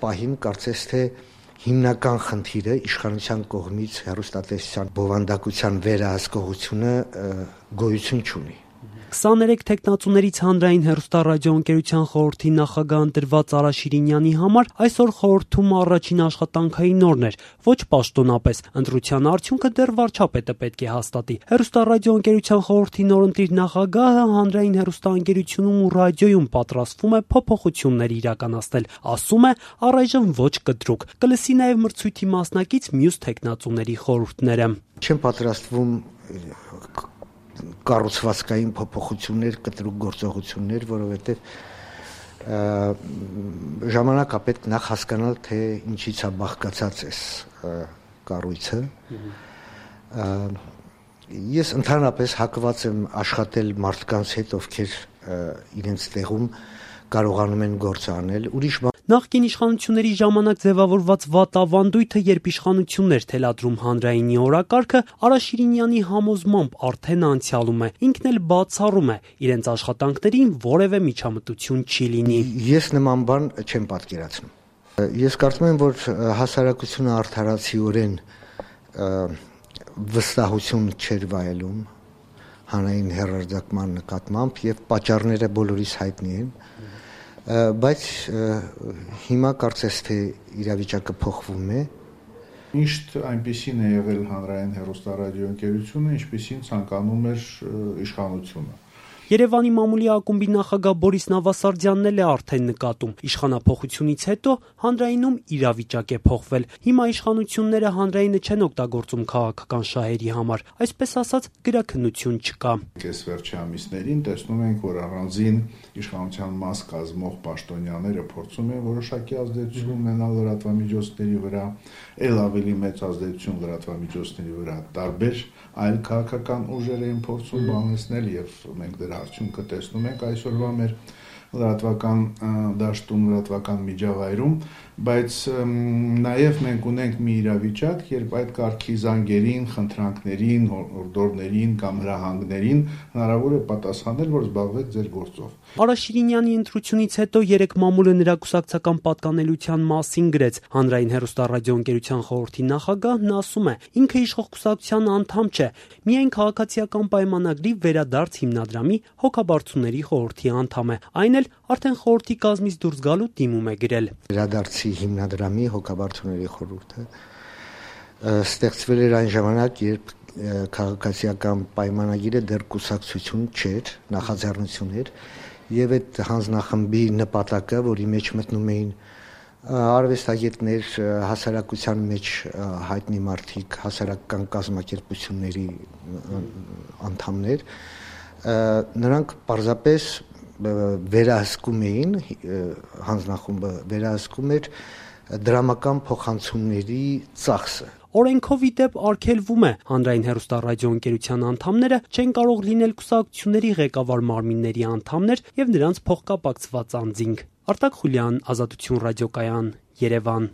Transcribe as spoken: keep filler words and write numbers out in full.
պահին կարծես թե հիմնական խնդիրը իշխանության կողմից հեռուստատեսության բովանդակության վերահսկողությունը գոյություն չունի։ քսաներեք թեկնածուներից հանրային հեռուստառադիոընկերության խորհրդի նախագահ ընտրված Արա Շիրինյանի համար այսօր խորհրդում առաջին աշխատանքային օրն էր, ոչ պաշտոնապես, ընտրության արդյունքը դեռ վարչապետը պետք է հաստատի։ Հեռուստառադիոընկերության խորհրդի նորընտիր նախագահը հանրային հեռուստաընկերությունում ու ռադիոյում պատրաստվում է փոփոխություններ իրականացնել, ասում է առայժմ ոչ կտրուկ, կլսի նաև մրցույթի մասնակից մյուս թեկնածուների խորհուրդները։ Չեմ պատրաստվում կառուցվածքային փոփոխություններ, կտրուկ գործողություններ, որովհետև ժամանակ է պետք նախ հասկանալ, թե ինչից է բաղկացած այս կառույցը։ Ես ընդհանրապես հակված եմ աշխատել մարդկանց հետ, ովքեր իրենց տեղում կարողանում են գործ անել, ուրիշ Նախկին իշխանությունների ժամանակ ձևավորված վատ ավանդույթը, երբ իշխանությունն էր թելադրում հանրայինի օրակարգը, Արա Շիրինյանի համոզմամբ արդեն անցյալում է, ինքն էլ բացառում է, իրենց աշխատանքներին որևէ միջամտություն չի լինի։ Ես նման բան չեմ պատկերացնում։ Ես կարծում եմ, որ հասարակությունը արդարացիորեն վստահություն չէր վայելում հանրային հեռարձակման նկատմամբ եւ պատճառները բոլորիս հայտնի են։ Բայց հիմա կարծես թե իրավիճակը փոխվում է։ Միշտ այնպիսին է եղել հանրային հեռուստառադիոընկերությունը, ինչպիսին ցանկանում էր իշխանությունը։ Երևանի մամուլի ակումբի նախագահ Բորիս Նավասարդյանն էլ է արդեն նկատում. իշխանափոխությունից հետո հանրայինում իրավիճակ է փոխվել։ Հիմա իշխանությունները հանրայինը չեն օգտագործում քաղաքական շահերի համար, այսպես ասած գրաքննություն չկա։ Այս վերջի ամիսներին տեսնում ենք, որ առանձին իշխանության մաս կազմող պաշտոնյաները փորձում են որոշակի ազդեցություն ունենալ լրատվամիջոցների վրա, ել ավելի մեծ ազդեցություն լրատվամիջոցների վրա տարբեր այլ քաղաքական ուժեր են փորձում բանեցնել եւ մենք դրա արդյունքը տեսնում ենք այսօրվա մեր լրատվական դաշտում, լրատվական միջավայրում, բայց նաև մենք ունենք մի իրավիճակ, երբ այդ կարգի զանգերին, խնդրանքներին, հորդորներին կամ հրահանգներին հնարավոր է պատասխանել, որ զբաղվեք ձեր գործով։ Արա Շիրինյանի ընտրությունից հետո երեք մամուլը նրա կուսակցական պատկանելության մասին գրեց։ Հանրային հեռուստառադիոընկերության խորհրդի նախագահն ասում է, ինքը իշխող կուսակցության անդամ չէ, միայն քաղաքացիական պայմանագրի վերադարձ հիմնադրամի հոգաբարձուների խորհրդի անդամ է, այն էլ արդեն խորհրդի կազմից դուրս գալու դիմում է գրել։ Վերադարձի հիմնադրամի հոգաբարձուների խորհուրդը ստեղծվել էր այն ժամանակ, երբ քաղաքացիական պայմանագիրը դեռ կուսակցություն չէր, նախաձեռնություն էր, եւ այդ հանձնախմբի նպատակը, որի մեջ մտնում էին արվեստագետներ, հասարակության մեջ հայտնի մարդիկ, հասարակական կազմակերպությունների անդամներ, նրանք պարզապես վերահսկում էին, հանձնախումբը վերահսկում էր դրամական փոխանցումների ծախսը։ Օրենքով ի դեպ արգելվում է հանրային հեռուստառադիոընկերության անդամները չեն կարող լինել կուսակցությունների ղեկավար մարմինների անդամներ եւ նրանց փոխկապակցված անձինք։ Արտակ Խուլյան, Ազատություն ռադիոկայան, Երևան։